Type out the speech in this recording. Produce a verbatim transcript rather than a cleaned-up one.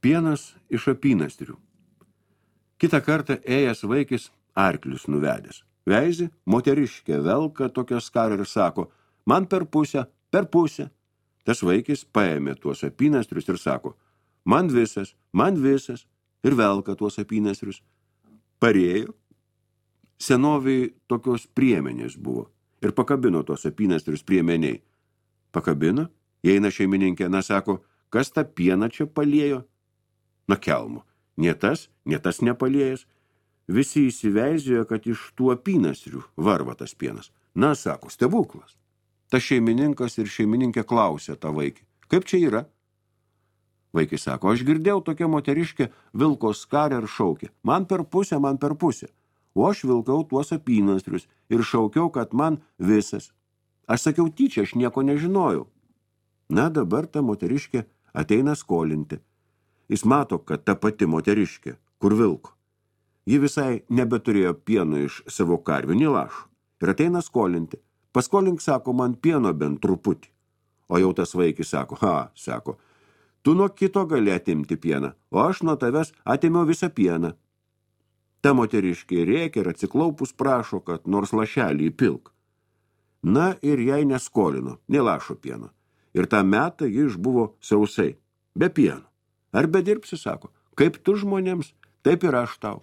Pienas iš apynastrių. Kitą kartą ėjęs vaikis arklius nuvedęs. Veizi, moteriškė velka tokią skarą ir sako, man per pusę, per pusę. Tas vaikis paėmė tuos apynastrius ir sako, man visas, man visas, ir velka tuos apynastrius. Parėjo. Senoviai tokios priemenės buvo ir pakabino tuos apynastrius priemeniai. Pakabino, įeina šeimininkė, na sako, kas tą pieną čia paliejo? Na kelmo, nie tas, nie tas nepaliejęs. Visi įsiveizėjo, kad iš tų apynastrių varva tas pienas. Na, sako, stebuklas. Tas šeimininkas ir šeimininkė klausė tą vaikį, kaip čia yra? Vaikis sako, aš girdėjau tokia moteriškė vilko skarę ir šaukė, man per pusę, man per pusę. O aš vilkau tuos apynastrius ir šaukiau, kad man visas. Aš sakiau tyčia, aš nieko nežinojau. Na, dabar ta moteriškė ateina skolinti. Jis mato, kad ta pati moteriškė, kur vilko. Ji visai nebeturėjo pieno iš savo karvių, nei lašo. Ir ateina skolinti. Paskolink, sako, man pieno bent truputį. O jau tas vaikis sako, ha, sako, tu nuo kito gali atimti pieną, o aš nuo tavęs atėmiau visą pieną. Ta moteriškė rėkia ir atsiklaupus prašo, kad nors lašelį įpilk. Na ir jai neskolino, nei lašo pieno. Ir tą metą ji išbuvo sausai, be pieno. Ar bedirbsi, sako, kaip tu žmonėms, taip ir aš tau.